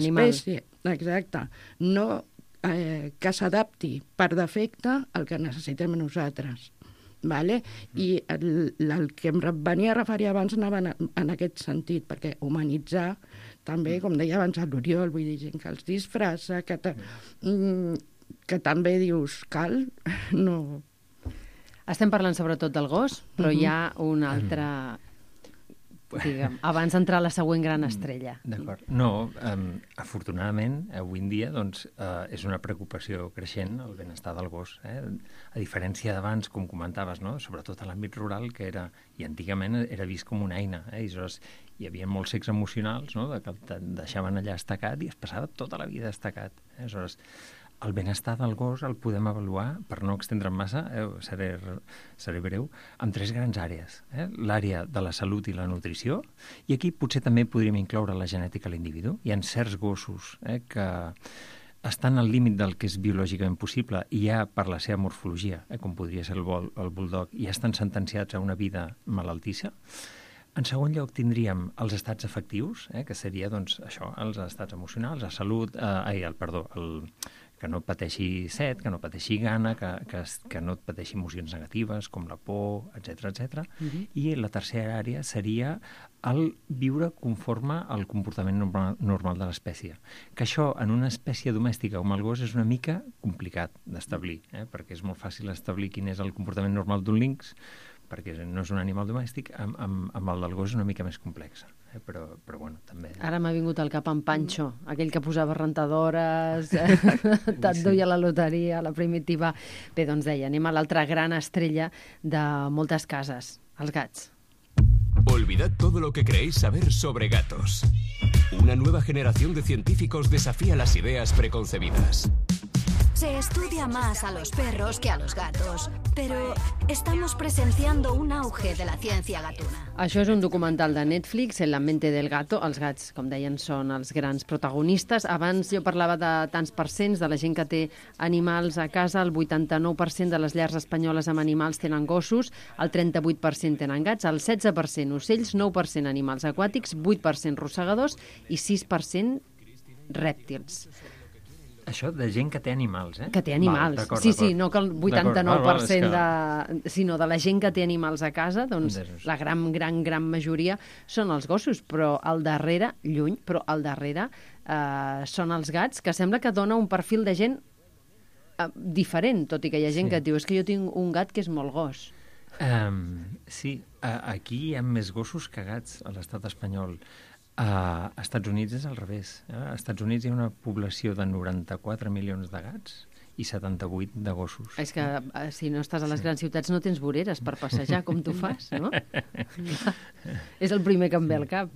espècie. Exacte. No que s'adapti per defecte al que necessitem nosaltres. Vale? I el que em venia a referir abans anava en aquest sentit, perquè humanitzar també, com deia abans l'Oriol, vull dir, gent que els disfressa, que també dius, cal, no... Estem parlant sobretot del gos, però hi ha un altre... Digue'm, abans d'entrar a la següent gran estrella. D'acord. No, afortunadament, avui en dia doncs, és una preocupació creixent el benestar del gos. A diferència d'abans, com comentaves, no? Sobretot a l'àmbit rural, que era, i antigament era vist com una eina. I aleshores hi havia molts cecs emocionals, no? Que et deixaven allà estacat i es passava tota la vida estacat. Aleshores, el benestar del gos el podem avaluar, per no extendre'm massa, seré breu, amb 3 grans àrees. L'àrea de la salut i la nutrició, i aquí potser també podríem incloure la genètica a l'individu. Hi ha certs gossos que estan al límit del que és biològicament possible i ja per la seva morfologia, com podria ser el bulldog, ja estan sentenciats a una vida malaltissa. En segon lloc tindríem els estats afectius, que seria doncs, això, els estats emocionals, la salut, que no pateixi set, que no pateixi gana, que no pateixi emocions negatives, com la por, etc. I la tercera àrea seria el viure conforme al comportament normal de l'espècie. Que això, en una espècie domèstica com el gos, és una mica complicat d'establir, perquè és molt fàcil establir quin és el comportament normal d'un linx, perquè no és un animal domèstic, amb el del gos és una mica més complexa. Però bueno, també... Ara m'ha vingut al cap en Pancho, aquell que posava rentadores, te't duia la loteria, la primitiva... Bé, doncs deia, anem a l'altra gran estrella de moltes cases, els gats. Olvidad todo lo que creéis saber sobre gatos. Una nueva generación de científicos desafía las ideas preconcebidas. Se estudia más a los perros que a los gatos, pero estamos presenciando un auge de la ciencia gatuna. Això és un documental de Netflix, En la mente del gato. Els gats, com deien, són els grans protagonistes. Abans jo parlava de tants percents de la gent que té animals a casa. El 89% de les llars espanyoles amb animals tenen gossos, el 38% tenen gats, el 16% ocells, 9% animals aquàtics, 8% rosegadors i 6% rèptils. Això de gent que té animals, Que té animals. Sí, no que el 89% sinó de la gent que té animals a casa, doncs la gran majoria són els gossos, però al darrere, lluny, però al darrere són els gats, que sembla que dona un perfil de gent diferent, tot i que hi ha gent que et diu, és que jo tinc un gat que és molt gos. Sí, aquí hi ha més gossos que gats a l'estat espanyol. A Estats Units és al revés. A Estats Units hi ha una població de 94 milions de gats i 78 de gossos. És que si no estàs a les grans ciutats no tens voreres per passejar, com tu fas, no? És el primer que em ve al cap.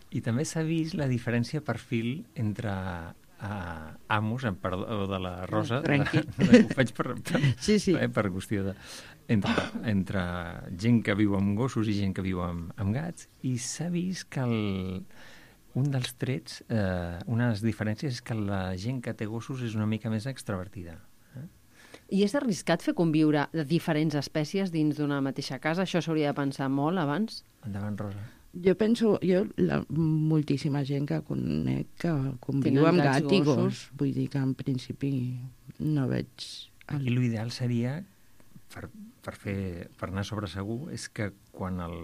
I també s'ha vist la diferència per perfil entre amos, perdó de la Rosa, ho faig per qüestió de... entre gent que viu amb gossos i gent que viu amb gats, i s'ha vist que un dels trets, una de les diferències és que la gent que té gossos és una mica més extrovertida. I és arriscat fer conviure diferents espècies dins d'una mateixa casa? Això s'hauria de pensar molt abans? Endavant, Rosa. Jo penso, moltíssima gent que conec que conviu amb gat i gos. Vull dir que en principi no veig... Aquí l'ideal seria, per anar sobre segur, és que quan el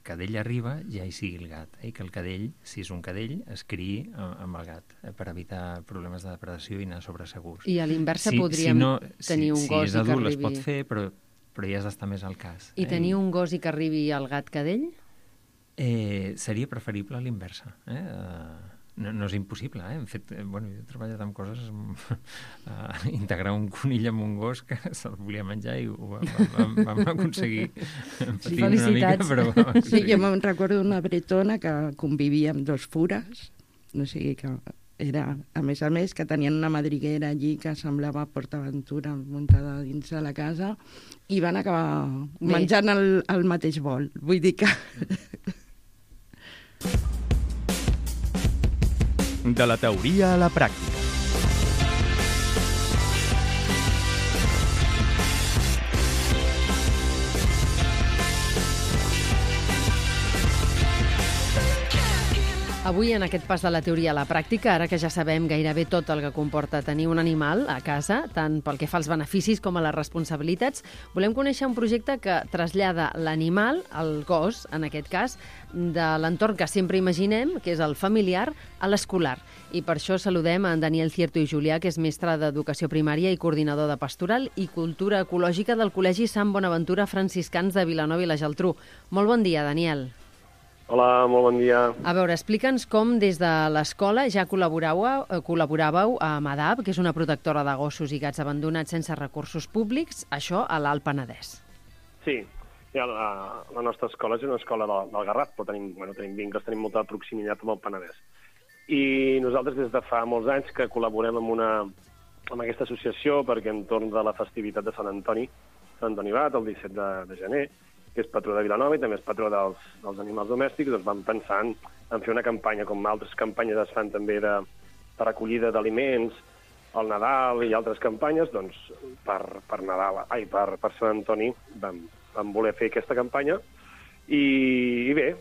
cadell arriba ja hi sigui el gat, que el cadell, si és un cadell, es criï amb el gat, per evitar problemes de depredació i anar sobre segurs. I a l'inversa podríem tenir un gos i que arribi... Si és adult es pot fer, però ja has d'estar més al cas. I tenir un gos i que arribi el gat cadell? Seria preferible a l'inversa. No és impossible. En fet, jo he treballat amb coses... integrar un conill amb un gos que se'l volia menjar i ho vam aconseguir. Felicitats. Sí, jo me'n recordo una bretona que convivia amb 2 fures, o sigui que era, a més, que tenien una madriguera allí que semblava PortAventura muntada dins de la casa i van acabar menjant el mateix bol. Vull dir que... De la teoria a la pràctica. Avui, en aquest pas de la teoria a la pràctica, ara que ja sabem gairebé tot el que comporta tenir un animal a casa, tant pel que fa als beneficis com a les responsabilitats, volem conèixer un projecte que trasllada l'animal, el gos, en aquest cas, de l'entorn que sempre imaginem, que és el familiar, a l'escolar. I per això saludem a en Daniel Cierto i Julià, que és mestre d'Educació Primària i coordinador de Pastoral i Cultura Ecològica del Col·legi Sant Bonaventura Franciscans de Vilanova i la Geltrú. Molt bon dia, Daniel. Hola, molt bon dia. A veure, explica'ns com des de l'escola ja col·laboràveu amb ADAP, que és una protectora de gossos i gats abandonats sense recursos públics, això a l'Alt Penedès. Sí, la nostra escola és una escola del Garraf, però tenim vincles, tenim molta proximitat amb el Penedès. I nosaltres des de fa molts anys que col·laborem amb aquesta associació perquè entorn de la festivitat de Sant Antoni Bat, el 17 de gener, que és patró de Vilanova i també és patró dels animals domèstics, doncs vam pensar en fer una campanya, com altres campanyes es fan també de recollida d'aliments, al Nadal i altres campanyes, doncs per Sant Antoni vam voler fer aquesta campanya. I bé,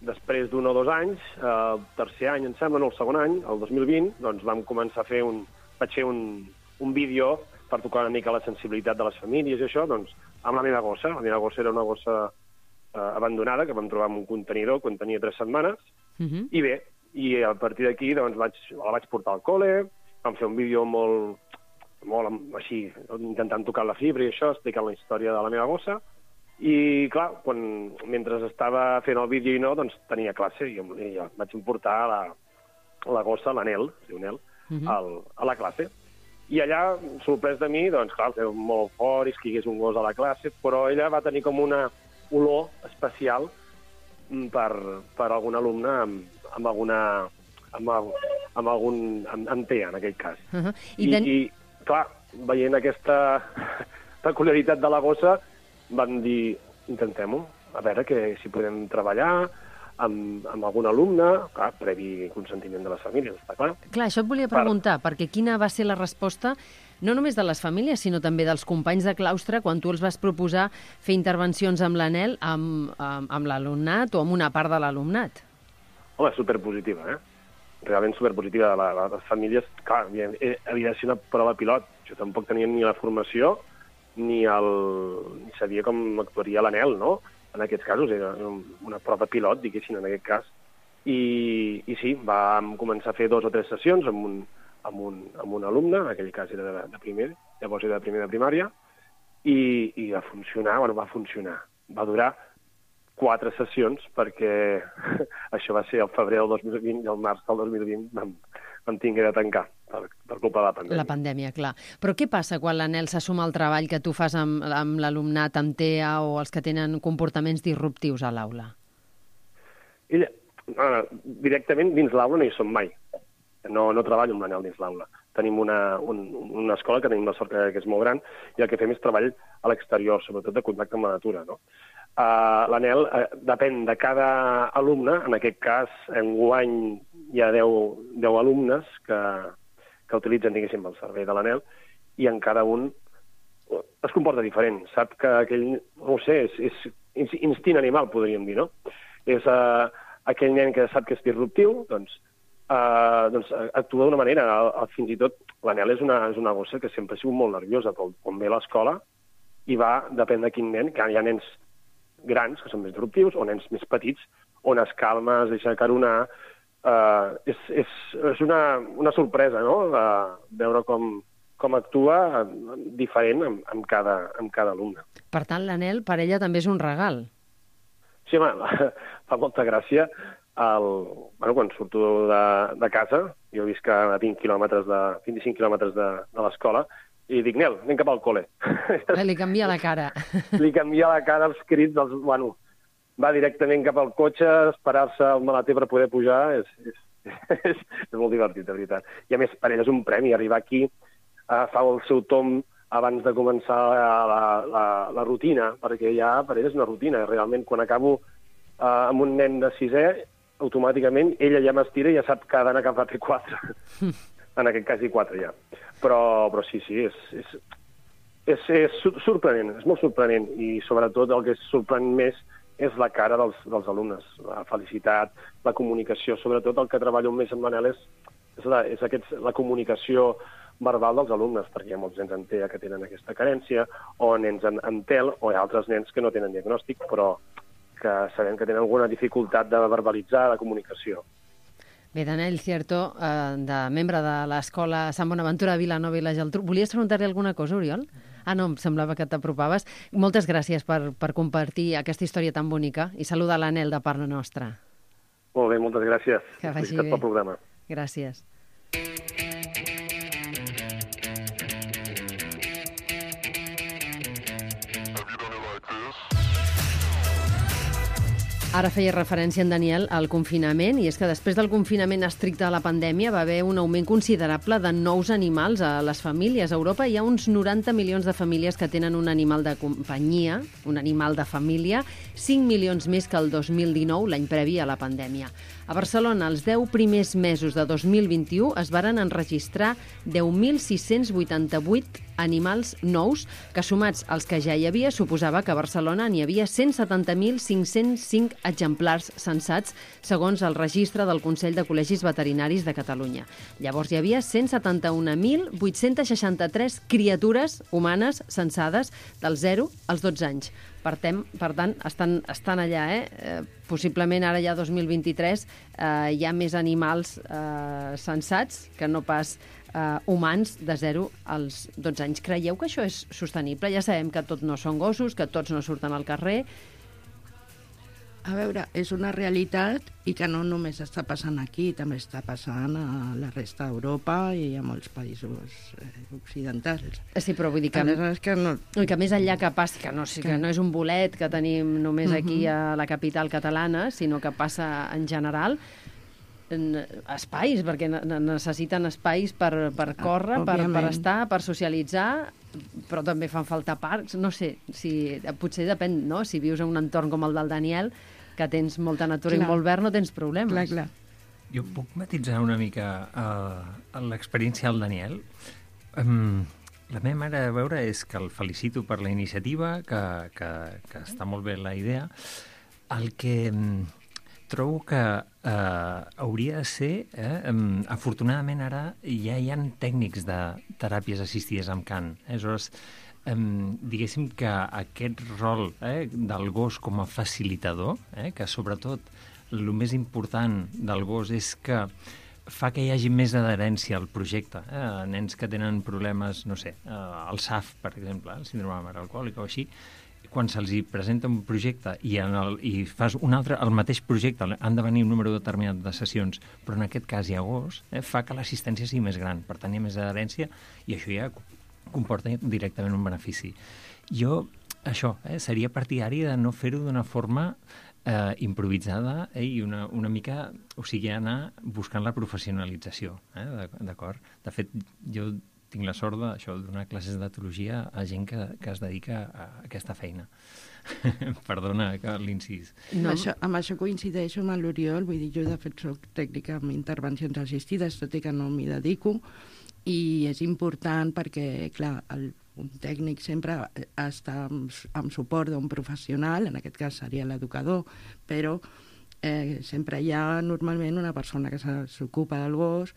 després d'un o 2 anys, el tercer any, em sembla, no el segon any, el 2020, doncs vam començar a fer vaig fer un vídeo per tocar una mica la sensibilitat de les famílies i això, doncs, amb la meva gossa. La meva gossa era una gossa abandonada que vam trobar en un contenidor quan tenia 3 setmanes. I bé, a partir d'aquí doncs, la vaig portar al col·le, vam fer un vídeo molt així, intentant tocar la fibra i això, explicant la història de la meva gossa. I, clar, mentre estava fent el vídeo i no, doncs tenia classe i vaig importar la gossa, l'Anel, es diu Nel, a la classe. I allà, sorprès de mi, doncs, clar, era molt fort i que hi hagués un gos a la classe, però ella va tenir com una olor especial per algun alumne amb TEA, en aquell cas. I, clar, veient aquesta peculiaritat de la gossa, van dir, intentem-ho, a veure si podem treballar amb algun alumne, clar, previ consentiment de les famílies, està clar. Clar, això et volia preguntar, perquè quina va ser la resposta, no només de les famílies, sinó també dels companys de claustre, quan tu els vas proposar fer intervencions amb l'Anel, amb l'alumnat o amb una part de l'alumnat? Home, superpositiva, realment superpositiva. Les famílies, clar, havia de ser una prova pilot. Jo tampoc tenia ni la formació ni sabia com actuaria l'Anel, no? En aquests casos era una prova pilot, diguéssim, en aquest cas. I sí, vam començar a fer 2 o 3 sessions amb un alumne, en aquell cas era de primer, llavors era de primer de primària, i va funcionar. Va durar 4 sessions, perquè això va ser el febrer del 2020 i el març del 2020 vam tingué de tancar per culpa de la pandèmia. La pandèmia, clar. Però què passa quan l'Anel s'assuma al treball que tu fas amb l'alumnat, amb TEA o els que tenen comportaments disruptius a l'aula? Ella, directament dins l'aula no hi som mai. No treballo amb l'Anel dins l'aula. Tenim una escola que tenim la sort que és molt gran i el que fem és treball a l'exterior, sobretot de contacte amb la natura, no? L'Anel depèn de cada alumne. En aquest cas, enguany hi ha 10 alumnes que utilitzen, diguéssim, el servei de l'Anel, i en cada un es comporta diferent. Sap que aquell, no ho sé, és instint animal, podríem dir, no? És aquell nen que sap que és disruptiu, doncs actua d'una manera. Fins i tot l'Anel és una gossa que sempre ha sigut molt nerviosa, però quan ve a l'escola i va, depèn de quin nen, que hi ha nens grans, que són més disruptius, o nens més petits, on es calma, es deixa caronar. És una sorpresa, no?, veure com actua diferent amb cada alumne. Per tant, l'Anel, per ella, també és un regal. Sí, home, fa molta gràcia. Quan surto de casa, jo visc a 25 quilòmetres de l'escola, i dic, Nel, anem cap al col·le. Li canvia la cara. Li canvia la cara, els crits, va directament cap al cotxe, esperar-se al maleter per poder pujar, és molt divertit, de veritat. I a més, per ell és un premi, arribar aquí, fa el seu tom abans de començar la rutina, perquè ja per ell és una rutina. Realment, quan acabo amb un nen de 6è, automàticament ella ja m'estira i ja sap que ha d'anar cap a P4. En aquest cas, I4 ja. Però sí, és sorprenent, és molt sorprenent, i sobretot el que sorprèn més és la cara dels alumnes, la felicitat, la comunicació. Sobretot el que treballo més amb Manel és la comunicació verbal dels alumnes, perquè hi ha molts nens en TEA que tenen aquesta carència, o nens en TEL, o hi ha altres nens que no tenen diagnòstic, però que sabem que tenen alguna dificultat de verbalitzar la comunicació. Bé, Daniel Cierto, membre de l'Escola Sant Bonaventura de Vilanova i la Geltrú. Volies preguntar-li alguna cosa, Oriol? Ah, no, em semblava que t'apropaves. Moltes gràcies per compartir aquesta història tan bonica i saludar l'Anel de part nostra. Molt bé, moltes gràcies. Que vagi bé. Pel programa. Gràcies. Ara feia referència en Daniel al confinament, i és que després del confinament estricte de la pandèmia va haver un augment considerable de nous animals a les famílies. A Europa hi ha uns 90 milions de famílies que tenen un animal de companyia, un animal de família, 5 milions més que el 2019, l'any previ a la pandèmia. A Barcelona, els 10 primers mesos de 2021 es varen enregistrar 10.688 animals nous, que sumats als que ja hi havia, suposava que a Barcelona n'hi havia 170.505 exemplars censats, segons el registre del Consell de Col·legis Veterinaris de Catalunya. Llavors hi havia 171.863 criatures humanes censades dels 0 als 12 anys. Per tant, estan allà, possiblement ara ja 2023 hi ha més animals censats que no pas humans de 0 als 12 anys. Creieu que això és sostenible? Ja sabem que tots no són gossos, que tots no surten al carrer. A veure, és una realitat i que no només està passant aquí, també està passant a la resta d'Europa i a molts països occidentals. Sí, però vull dir que no... que més enllà que passi, que no és un bolet que tenim només aquí a la capital catalana, sinó que passa en general, espais, perquè necessiten espais per córrer, per estar, per socialitzar, però també fan falta parcs. No sé, potser depèn, no? Si vius en un entorn com el del Daniel, que tens molta natura i molt verd, no tens problemes. Clar. Jo puc matitzar una mica l'experiència del Daniel? La meva manera de veure és que el felicito per la iniciativa, que està molt bé la idea. El que trobo que hauria de ser, afortunadament ara ja hi ha tècnics de teràpies assistides amb cant. Aleshores, diguéssim que aquest rol del gos com a facilitador, que sobretot el més important del gos és que fa que hi hagi més adherència al projecte. Nens que tenen problemes, no sé, el SAF, per exemple, el síndrome de mare alcohòlica o així, quan se'ls presenta un projecte i fas un altre, el mateix projecte, han de venir un número determinat de sessions, però en aquest cas hi ha gos, fa que l'assistència sigui més gran, per tant hi ha més adherència i això ja comporta directament un benefici. Jo, això, seria partidari de no fer-ho d'una forma improvisada i una mica, o sigui, anar buscant la professionalització, d'acord? De fet, jo tinc la sort de donar classes d'etologia a gent que es dedica a aquesta feina. Perdona l'incís. No. Amb això coincideixo amb l'Oriol, vull dir, jo de fet soc tècnica en intervencions assistides, tot i que no m'hi dedico, I és important perquè, clar, un tècnic sempre està amb suport d'un professional, en aquest cas seria l'educador, però sempre hi ha normalment una persona que s'ocupa del gos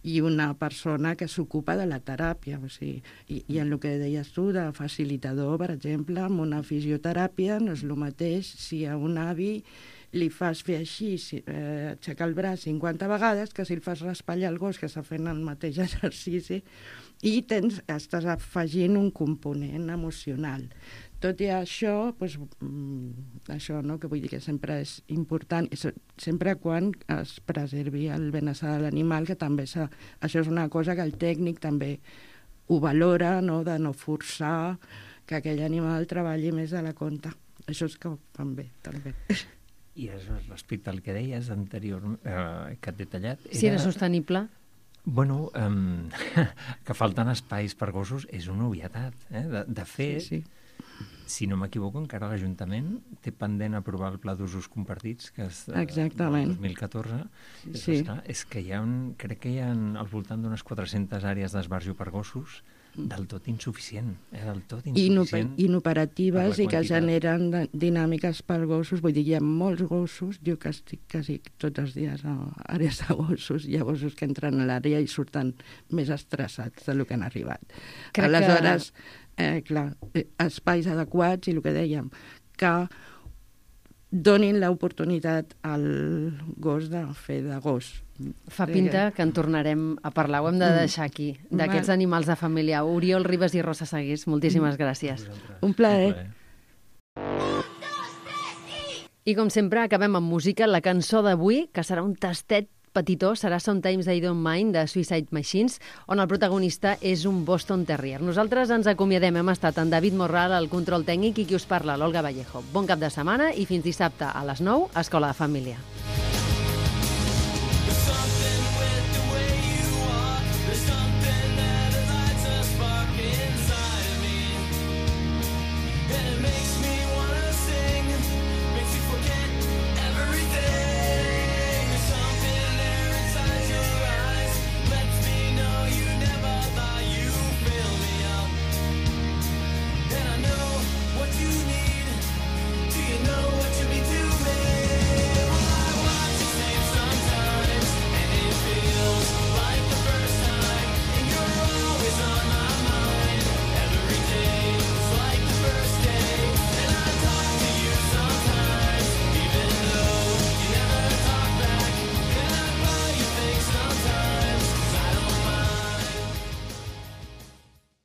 i una persona que s'ocupa de la teràpia. O sigui, i en el que deies tu, de facilitador, per exemple, amb una fisioteràpia no és el mateix si a un avi li fas fer així, aixecar el braç 50 vegades, que si el fas raspallar el gos que està fent el mateix exercici, i estàs afegint un component emocional. Tot i això, doncs, això, no?, que vull dir que sempre és important, sempre quan es preservi el benestar de l'animal, que també això és una cosa que el tècnic també ho valora, no?, de no forçar que aquell animal treballi més de la compte. Això és que ho fan bé, també. I respecte al que deies anterior, que et detallat... Si era sostenible? Bueno, que falten espais per gossos és una obvietat. De fet, sí. Si no m'equivoco, encara l'Ajuntament té pendent aprovar el Pla d'Usos Compartits, que és del 2014. Sí. És que crec que hi ha al voltant d'unes 400 àrees d'esbarjo per gossos, del tot insuficient. Del tot insuficient. Inoperatives i que generen dinàmiques per gossos. Vull dir, hi ha molts gossos, jo que estic quasi tots els dies a àrees de gossos, hi ha gossos que entren a l'àrea i surten més estressats del que han arribat. Aleshores, clar, espais adequats i el que dèiem, que donin l'oportunitat al gos de fer de gos. Fa pinta que en tornarem a parlar. Ho hem de deixar aquí, d'aquests animals de família. Oriol Ribas i Rosa Seguís, moltíssimes gràcies. Un plaer. I com sempre, acabem amb música. La cançó d'avui, que serà un tastet petitó, serà Sometimes I Don't Mind, de Suicide Machines, on el protagonista és un Boston Terrier. Nosaltres ens acomiadem. Hem estat en David Morral, al control tècnic, i qui us parla, l'Olga Vallejo. Bon cap de setmana i fins dissabte a les 9, Escola de Família. Something with